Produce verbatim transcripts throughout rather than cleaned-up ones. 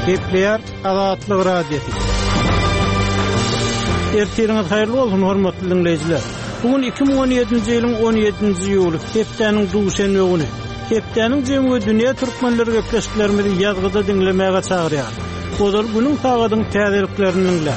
Gepleýär Azatlyk Radiosy. Ertiriňiz haýyrly bolsun, hormatly dinleýjiler. Bu gün iki müň on ýedinji ýylyň on ýedinji iýuly, hepdäniň duşenbe güni. Hepdäniň jemi we dünýä türkmenleri gepleşiklerimizi ýazgyda diňlemäge çagyrýar. Ozal günüň sagadyň täzeliklerini diňle.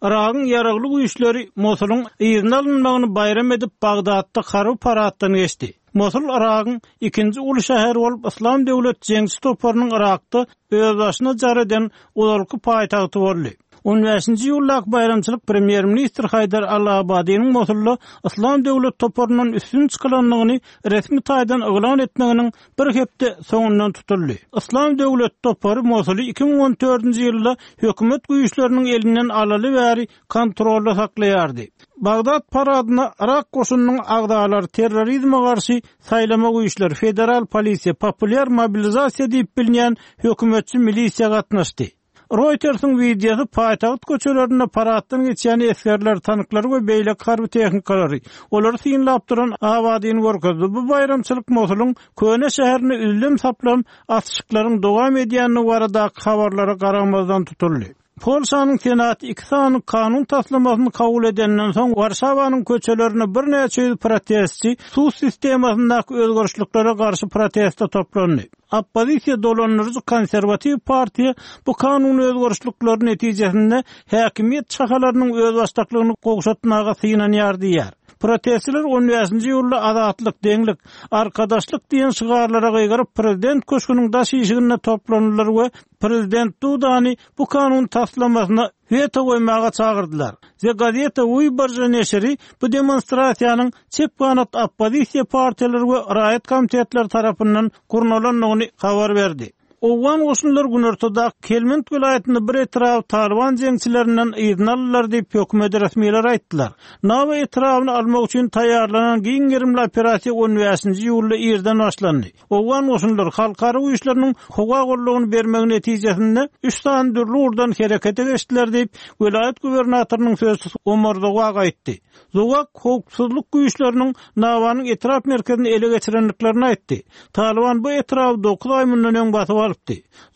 Iragyň ýaragly güýçleri Mosulyň yzyna alynmagyny baýram edip Bagdatda harby paraddan geçdi. Mosul Iragyň ikinji uly şäheri bolup Yslam döwlet jeňçi toparynyň Irakda özbaşyna jar eden ozalky paýtagty boldy. On bäşinji iýuldaky baýramçylyk premýer-ministr Haýdar Al-Abadiniň Mosulda Yslam döwlet toparyndan üstün çykylandygyny resmi taýdan yglan etmeginiň bir hepde soňundan tutuldy. Yslam döwlet topary Mosuly iki müň on dördünji ýylda hökümet güýçleriniň elinden alaly bäri kontrolda saklaýardy. Bagdat paradyna Irak goşunynyň agzalary, terrorizme garşy saýlama güýçleri, federal polisiýa, populýar mobilizasiýa diýip bilinýän hökümetçi milisiýa gatnaşdy. Reuters'ın wideosy paýtagt köçelerinde paraddan geçýän esgerler, tanklar we beýleki harby tehnikalary, olary synlap duran Abadini görkezdi. Bu baýramçylyk Mosulyň köne şäherine üzlem saplam atyşyklaryň dowam edýänligi baradaky habarlara garamazdan tutuldy. Polşanyň Senat iki sany kanun taslamasyny kabul edenden soň Warşawanyň köçelerine birnäçe ýüz protestçi suw sistemasyndaky özgerişliklere garşy proteste toplandy. Oppozisiýa dolandyryjy konserwatiw partiýa bu kanun özgerişlikleri netijesinde häkimiýet çahalarynyň özbaşdaklygyny gowşatmaga synanýar diýär. Protestçiler on bäşinji iýulda azatlyk, deňlik, arkadaşlyk diýen şygarlara gygyryp prezident köşgüniň daş işiginde toplandylar we prezident Dudany bu kanun taslamasyna weto goýmaga çagyrdylar. The Gazeta Wyborcza neşiri bu demonstrasiýanyň çep ganat oppozisiýa partiýalary we raýat komitetleri tarapyndan gurnalandygyny habar berdi. Owgan goşunlar Günortada Helmand welaýatynda bir etrap Taliban jeňçilerinden yzyna aldylar diýip hökümet resmileri aýtdylar. Nawa etrabyny almak üçin taýýarlanan giň gerimli operasiýa on bäşinji iýulda irden başlandy. Owgan goşunlar halkara güýçleriniň howa gollugyny bermegi netijesinde üç sany dürli ugurdan herekete geçdiler diýip welaýat gubernatorynyň sözçüsi Omar Zowak aýtdy. Zowak howpsuzlyk güýçleriniň Nawanyň etrap merkezini ele geçirendiklerini aýtdy. Taliban bu etraby dokuz aý mundan öň basyp alypdy.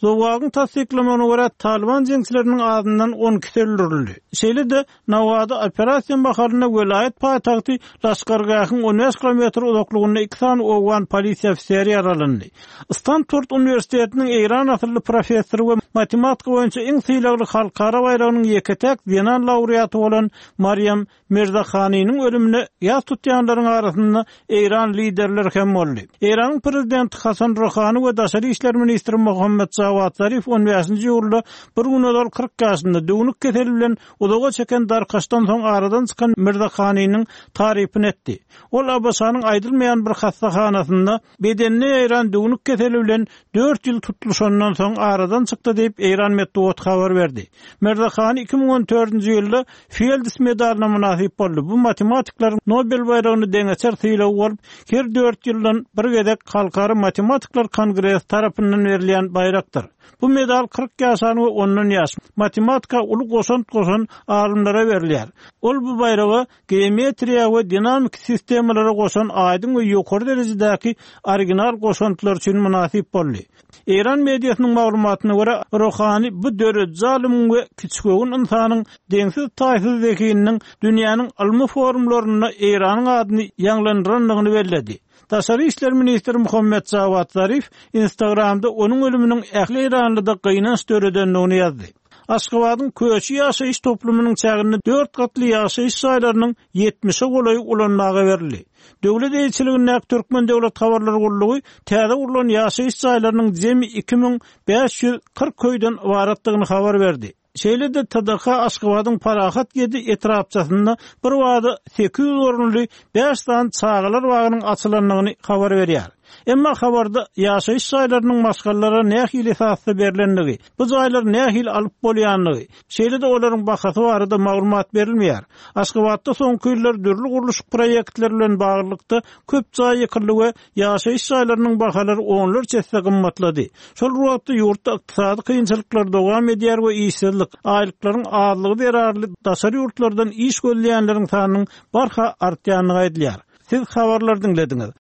Zowagyň tassyklamagyna görä Taliban jeňçileriniň azyndan on ikisi öldürildi. Şeýle-de Nawada operasiýa mahalynda welaýat paýtagty Laşkargähiň on bäş kilometr uzaklygynda iki sany owgan polisiýa ofiseri ýaralandy. Stanford Uniwersitetiniň Eýran asylly professory we matematika boýunça iň sylagly halkara baýragynyň ýeke-täk zenan laureaty bolan Mariam Mirzakhanynyň ölümine ýas tutýanlaryň arasynda Eýran liderleri hem boldy. Eýranyň prezidenti Hasan Ruhani we daşary işler ministri Muhammed Jawad Zarif on bäşinji iýulda bir gün ozal kyrk ýaşynda düwnük keseli bilen uzaga çeken darkaşdan soň aradan çykan Mirzakhanynyň tarypyny etdi. Ol ABŞ-nyň aýdylmaýan bir hassahanasynda bedenine ýaýran düwnük keseli bilen dört ýyl tutluşandan soň aradan çykdy diýip Eýran metbugat habar berdi. Mirzakhany iki müň on dördünji ýylda Fields medalyna mynasyp boldy. Bu matematiklaryň Nobel baýragyny deňeçer sylagy bolup, her dört ýyldan bir gezek Halkara Matematikler Kongresi tarapyndan berilýän baýrakdyr. Bu medal kyrk ýaşan we ondan ýaş matematika uly goşant goşan alymlara berilýär. Ol bu baýraga geometriýa we dinamik sistemalara goşan aýdyň we ýokary derejedäki original goşantlar üçin mynasyp boldy. Eýran mediasynyň maglumatyna görä, Ruhani bu dörediji alymyň we kiçigöwün insanyň deňsiz taýsyz zehininiň dünýäniň ylmy forumlarynda Eýranyň adyny ýaňlandyrandygyny belledi. Daşary işler ministri Muhammed Jawad Zarif Instagramda onuň ölüminiň ähli Eýranlyda gynanç döredendigini ýazdy. Aşgabadyň köçi ýaşaýyş toplumynyň çäginde dört gatly ýaşaýyş jaýlarynyň ýetmişe golaýy ulanmaga berildi. Döwlet eýeçiligindäki Türkmen Döwlet Habarlar Gullugy täze gurlan ýaşaýyş jaýlarynyň jemi iki müň bäş ýüz kyrk köýden ybaratdygyny habar berdi. Şeýle-de T D K Aşgabadyň Parahat ýedi etrapçasynda bir wada sekiz ýüz orunly bäş sany çagalar bagynyň açylandygyny habar berýär. Emma habarda ýaşaýyş jaýlarynyň maşgalalara nähili esasda berilendigi, bu jaýlar nähili alyp bolýandygy, şeýle-de olaryň bahasy barada maglumat berilmeýär. Aşgabatda soňky ýyllar dürli gurluşyk proýektleri bilen baglylykda köp jaý ýykyldy we ýaşaýyş jaýlarynyň bahalary onlarça esse gymmatlady. Şol wagtda ýurtda ykdysady kynçylyklar dowam edýär we işsizlik, aýlyklaryň azlygy zerarly daşary ýurtlardan iş gözleýänleriň sanynyň barha artýandygy aýdylýar. Siz habarlar diňlediňiz.